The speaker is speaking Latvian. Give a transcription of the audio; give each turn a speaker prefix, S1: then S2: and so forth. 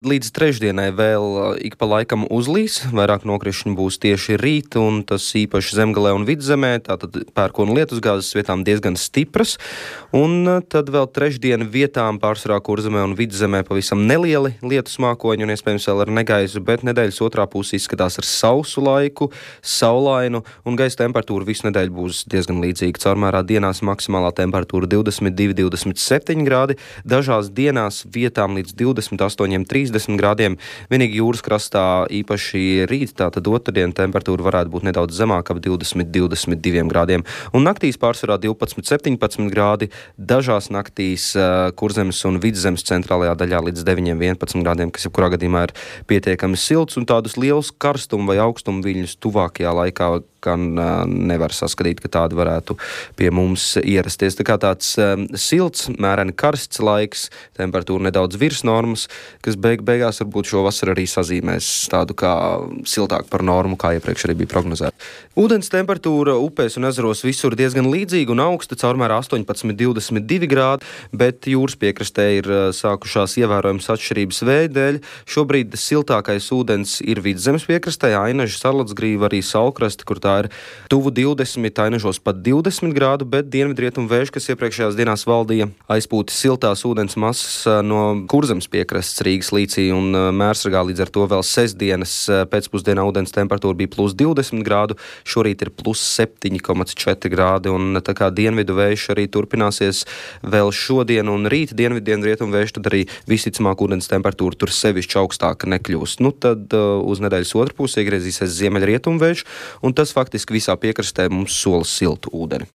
S1: Līdz trešdienai vēl ik pa laikam uzlīs, vairāk nokrišņu būs tieši rīt, un tas īpaši Zemgalē un Vidzemē, tātad pērkona lietusgāzes vietām diezgan stipras, un tad vēl trešdiena vietām pārsvarā Kurzemē un Vidzemē pavisam nelieli lietus mākoņi un iespējams vēl ar negaisu, bet nedēļas otrā puse izskatās ar sausu laiku, saulainu, un gaisa temperatūra visu nedēļu būs diezgan līdzīga. Caurmērā dienās maksimālā temperatūra 22–27 grādi, dažās dienās vietām līdz 28–30 grādiem. Vienīgi jūras krastā īpaši rīt, tātad otrdien temperatūra varētu būt nedaudz zemāka, ap 20–22 grādiem. Un naktīs pārsvarā 12–17 grādi, dažās naktīs Kurzemes un Vidzemes centrālajā daļā līdz 9–11 grādiem, kas jebkurā gadījumā ir pietiekami silts, un tādus lielus karstumu vai augstumu viļņus tuvākajā laikā gan nevar saskatīt, ka tādi varētu pie mums ierasties. Tā kā tāds silts, mēreni karsts laiks, temperatūra nedaudz virs normas, kas beigās varbūt šo vasaru arī sazīmēs tādu kā siltāku par normu, kā iepriekš arī bija prognozēta. Ūdens temperatūra upēs un ezeros visur diezgan līdzīga un augsta, caurmērā 18–22 grādi, bet jūras piekrastē ir sākušās ievērojams atšķirības vēja dēļ. Šobrīd siltākais ūdens ir Vidzemes piekrastē, Ainaži, Sarladsgrīva, arī Saulkrasti, kur tā ir tuvu 20, Ainažos pat 20 grādu, bet dienvidrietumu vējš, kas iepriekšējās dienās valdīja, aizpūta siltās ūdens masas no Kurzemes piekrastes Rīgas līcī un Mērsragā, līdz ar to vēl sestdienas pēcpusdienā ūdens temperatūra bija plus 20 grādu, šorīt ir plus 7,4 grādi, un tā kā dienvidu vējš arī turpināsies vēl šodien un rīt dienvidu vējš, tad arī visticamāk ūdens temperatūra tur sevišķi augstāka nekļūst. Nu tad uz nedēļas otru pusi iegriezīsies ziemeļrietumu vējš, un tas faktiski visā piekrastē mums sola siltu ūdeni.